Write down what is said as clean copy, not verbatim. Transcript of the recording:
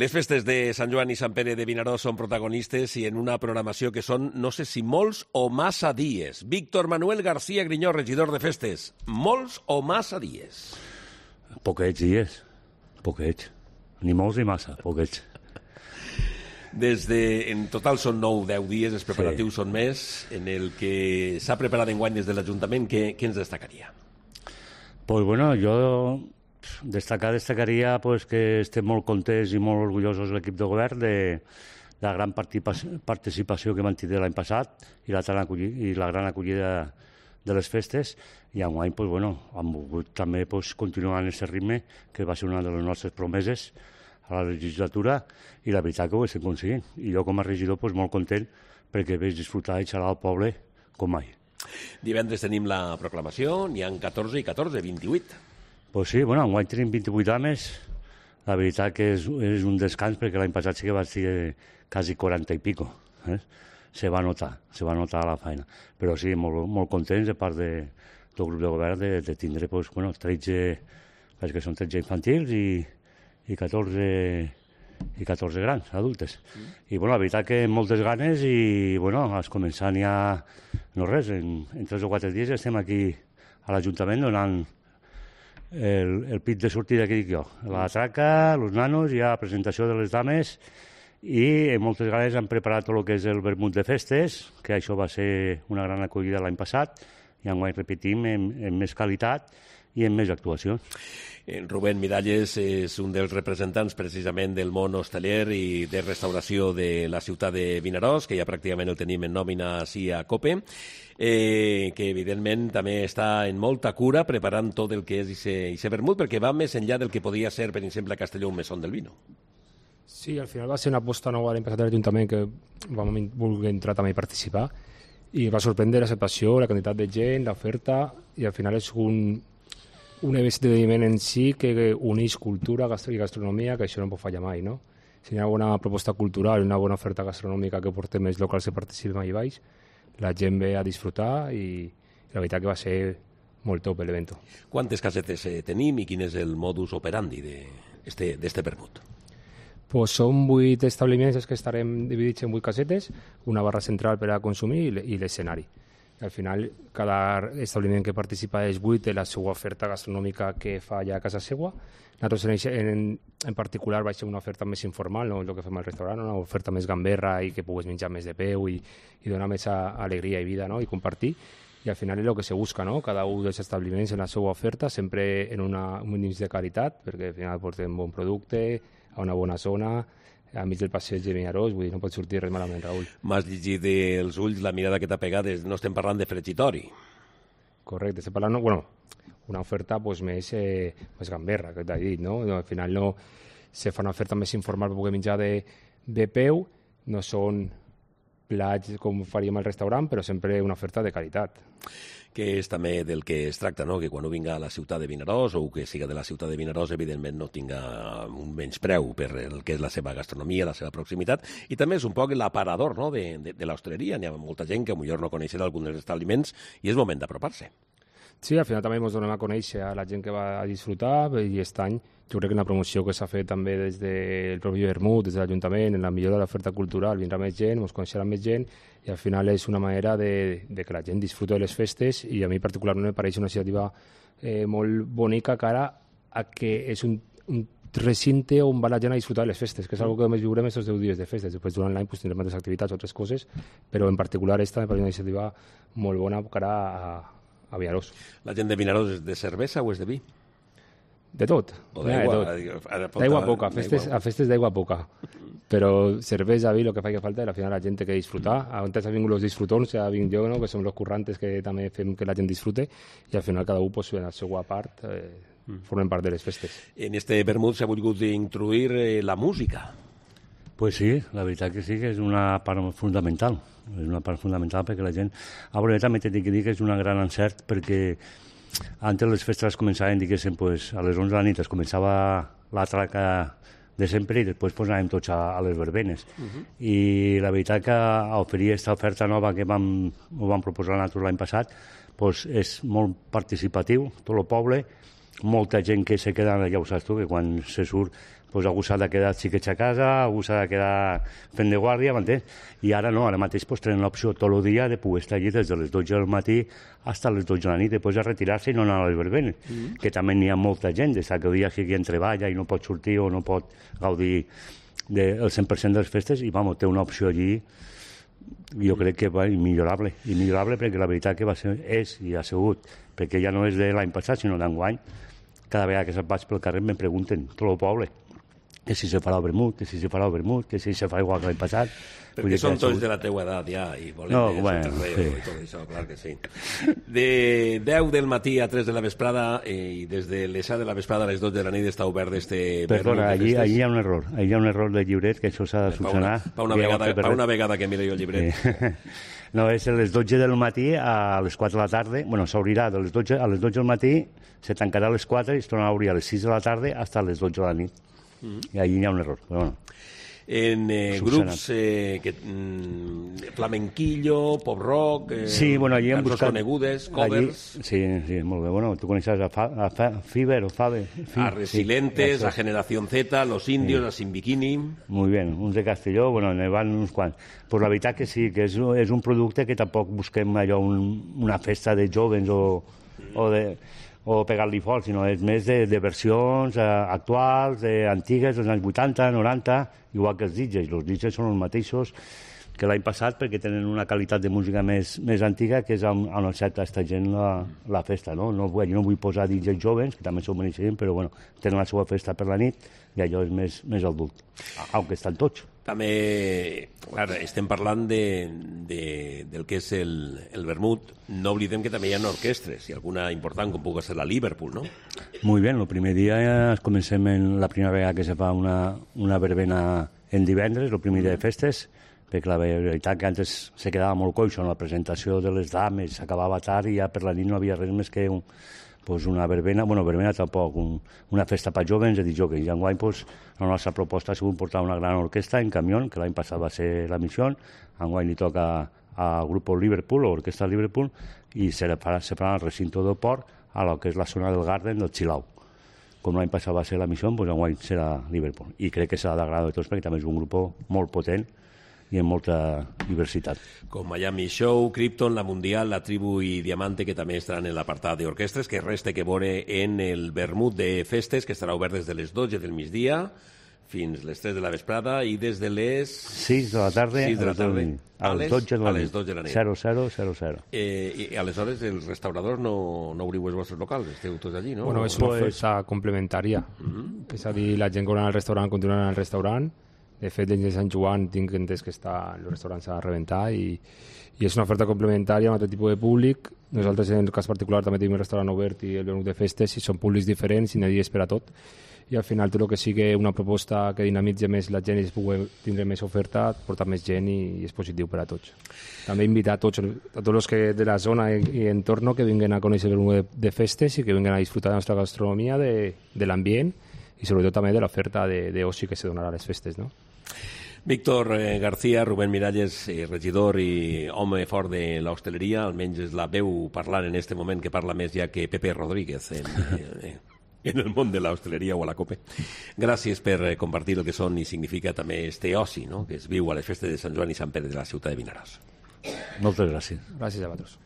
Les festes de Sant Joan i Sant Pere de Vinaròs són protagonistes i en una programació que són, no sé si molts o massa dies. Víctor Manuel García Griñó, regidor de festes. Molts o massa dies? Poquets dies. Poquets. Ni molts ni massa, poquets. En total són 9 o 10 dies, els preparatius són més. En el que s'ha preparat enguany des de l'Ajuntament, què ens destacaria? Pues bueno, jo destacaria pues, que estem molt contents i molt orgullosos l'equip de govern de la gran participació que vam tenir l'any passat i la gran acollida de les festes, i enguany pues, bueno, hem volgut també pues, continuar en aquest ritme, que va ser una de les nostres promeses a la legislatura, i la veritat que ho estem aconseguint. I jo com a regidor pues, molt content perquè veig disfrutar i xalar al poble com mai. Divendres tenim la proclamació, n'hi ha 14 i 14, 28. Pues sí, bueno, enguany tenim 28 dames. La veritat que és un descans perquè l'any passat sí que va ser quasi 40 i pico. Se va notar la feina. Però sí, molt contents de part del grup de govern de tindre pues, bueno, 13, perquè són 13 infantils i 14 grans, adultes. I bueno, la veritat que moltes ganes i bueno, has començant ja, no res, en 3 o 4 dies estem aquí a l'Ajuntament donant el pit de sortida que dic jo. La traca, els nanos, hi ha presentació de les dames i moltes ganes han preparat tot el que és el vermut de festes, que això va ser una gran acollida l'any passat, i enguany repetim en més qualitat i en més actuacions. Rubén Miralles és un dels representants precisament del món hosteler i de restauració de la ciutat de Vinaròs, que ja pràcticament el tenim en nòmina així a COPE, que evidentment també està en molta cura preparant tot el que és ese vermut, perquè va més enllà del que podia ser, per exemple, a Castelló un mesón del vino. Sí, al final va ser una aposta nova l'any passat de l'Ajuntament que vam voler entrar també i participar, i va sorprendre l'acceptació, la quantitat de gent, l'oferta, i al final és un esdeveniment en si que uneix cultura i gastronomia, que això no pot fallar mai, no? Si hi ha una bona proposta cultural i una bona oferta gastronòmica que portem els locals que participen allà baix, la gent ve a disfrutar i la veritat que va ser molt top l'event. Quantes casetes tenim i quin és el modus operandi d'este vermut? Pues són 8 establiments que estarem dividits en 8 casetes, una barra central per a consumir i l'escenari. Al final, cada establiment que participa és 8 té la seva oferta gastronòmica que fa allà a casa seva. Nosaltres en particular va ser una oferta més informal, no el que fem al restaurant, una oferta més gamberra i que puguis menjar més de peu i donar més alegria i vida, no? I compartir. I al final és el que se busca, no? Cada un dels establiments en la seva oferta, sempre en un índex de qualitat, perquè al final portem bon producte, a una bona zona, a mig del passeig de Vinaròs, vull dir, no pot sortir res malament, Raül. M'has llegit dels ulls la mirada que t'ha pegat, no estem parlant de fregitori. Correcte, estem parlant, bueno, una oferta pues, més gamberra, que t'he dit, no? Al final no se fa una oferta més informal per poder menjar de peu, no són plats com faríem al restaurant, però sempre una oferta de qualitat. Que és també del que es tracta, no? Que quan un vinga a la ciutat de Vinaròs o que siga de la ciutat de Vinaròs, evidentment no tinga un menyspreu per el que és la seva gastronomia, la seva proximitat, i també és un poc l'aparador, no? de l'hostaleria. Hi ha molta gent que potser no coneixerà alguns dels establiments i és moment d'apropar-se. Sí, al final també ens donem a conèixer a la gent que va a disfrutar, i aquest any jo crec que la promoció que s'ha fet també des del propi vermut, des de l'Ajuntament, en la millora de l'oferta cultural, vindrà més gent, ens coneixerà més gent, i al final és una manera de que la gent disfruti de les festes, i a mi particularment em pareix una iniciativa molt bonica cara a que és un recinte on va la gent a disfrutar de les festes, que és una que més viurem aquests 10 dies de festes. Després durant l'any tindrem altres activitats, altres coses, però en particular aquesta em pareix una iniciativa molt bona cara a Vinaròs. La gent de Vinaròs és de cervesa o és de vi? De tot. O d'aigua? D'aigua poca, a festes d'aigua poca. Però cervesa, vi, el que fa que falta, al final la gent té que disfrutar. Antes ha vingut els disfrutons, ja vinc jo, no? Que som els currantes que també fem que la gent disfrute, i al final cada un, pues, en la seva part, formen part de les festes. En este vermut s'ha volgut introduir la música. Pues sí, la veritat que sí, que és una part fundamental. És una part fundamental perquè la gent... A veure, també t'he de dir que és un gran encert perquè antes les festes començaven, diguéssim, pues, a les 11 de la nit es començava la traca de sempre i després pues, anàvem tots a les verbenes. I la veritat que oferir aquesta oferta nova que ho vam proposar nosaltres l'any passat pues, és molt participatiu, tot el poble, molta gent que se queda, ja ho saps tu, que quan se surt pues algú s'ha de quedar xiquets a casa, algú s'ha de quedar fent de guàrdia, m'entens? I ara no, ara mateix pues, tenen l'opció tot el dia de poder estar allí des de les 12 del matí fins a les 12 de la nit, després a retirar-se i no anar a les verbenes, que també n'hi ha molta gent, des que el dia que gent treballa i no pot sortir o no pot gaudir del 100% de les festes, i vamos, té una opció allí, jo crec que va immillorable perquè la veritat que va ser, és i ha sigut, perquè ja no és de l'any passat, sinó d'enguany, cada vegada que se'n vaig pel carrer me pregunten, tot el poble, que si se farà el vermut, que si se farà el vermut, que si se fa igual que l'any passat. Perquè són tots de la teua edat ja i volen soterreo i tot això, clar que sí. De 10 del matí a 3 de la vesprada i des de les 7 de la vesprada a les 12 de la nit està obert este Perdona, allí hi ha un error de llibret que això s'ha de solucionar. Pa una vegada que mire jo el llibret. No, és a les 12 del matí a les 4 de la tarda, bueno, s'obrirà a les 12 del matí, se tancarà a les 4 i es tornarà a obrir a les 6 de la tarda fins a les 12 de la nit. I allí hi ha un error, però bueno. En grups flamenquillo, pop rock, sí, bueno, allí hem buscat conegudes, covers. Sí, molt bé. Bueno, tu coneixes a Fiber o Fabe. A Resilientes, a Generación Z, Los Indios, a Sin Bikini. Muy bien, uns de Castelló, bueno, ne van uns quants. Pues la veritat que sí, que és un producte que tampoc busquem allò una festa de jovens o pegar-li fort, sinó és més de versions actuals, antigues, dels anys 80, 90, igual que els DJs. Els DJs són els mateixos que l'any passat perquè tenen una qualitat de música més antiga, que és on accepta aquesta gent la festa. No? Jo no vull posar DJs jovens, que també s'ho mereixen, però bueno, tenen la seva festa per la nit i allò és més adult, aunque estan tots. També, clar, estem parlant del que és el vermut. No oblidem que també hi ha orquestres, i alguna important, com pugui ser la Liverpool, no? Muy bien, el primer dia comencem la primera vegada que se fa una verbena en divendres, el primer dia de festes, perquè la veritat que antes se quedava molt coixo en la presentació de les dames, s'acabava tard i ja per la nit no havia res més que una verbena, verbena tampoc, una festa per jovens, i jocs. I enguany la nostra proposta ha sigut portar una gran orquestra en camió, que l'any passat va ser la missió, enguany li toca al grup Liverpool, o orquestra Liverpool, i se farà al recinto del port, a lo que és la zona del Garden del Chilau. Com l'any passat va ser la missió, enguany serà Liverpool. I crec que serà d'agradar de tots, perquè també és un grup molt potent i amb molta diversitat. Com Miami Show, Krypton, La Mundial, La Tribu i Diamante, que també estaran en l'apartat d'orquestres, que res té que veure en el vermut de festes, que estarà obert des de les 12 del migdia fins les 3 de la vesprada i des de les 6 de la tarda a les 12 de la nit. 0000. I aleshores els restauradors no obriu els vostres locals, esteu tots allí, no? Bueno, és una oferta complementària. És a dir, la gent que va al restaurant continua al restaurant. De fet, dins de Sant Joan tinc entès que els restaurants a reventar i és una oferta complementària amb altre tipus de públic. Nosaltres, en el cas particular, també tenim el restaurant obert i el vermut de festes i són públics diferents i n'hi ha dies per a tot. I al final tot el que sigui una proposta que dinamitzi més la gent i es pugui tindre més oferta, portar més gent i és positiu per a tots. També invitar a tots els que de la zona i entorn que vinguen a conèixer el vermut de festes i que vinguen a disfrutar de la nostra gastronomia, de l'ambient i sobretot també de l'oferta d'oci que se donarà a les festes, no? Víctor García, Rubén Miralles, regidor i home fort de l'hostaleria, almenys és la veu parlant en aquest moment que parla més ja que Pepe Rodríguez en el món de l'hostaleria o a la COPE. Gràcies per compartir el que són i significa també este oci, no? Que es viu a les festes de Sant Joan i Sant Pere de la ciutat de Vinaròs. Moltes gràcies. Gràcies a vosaltres.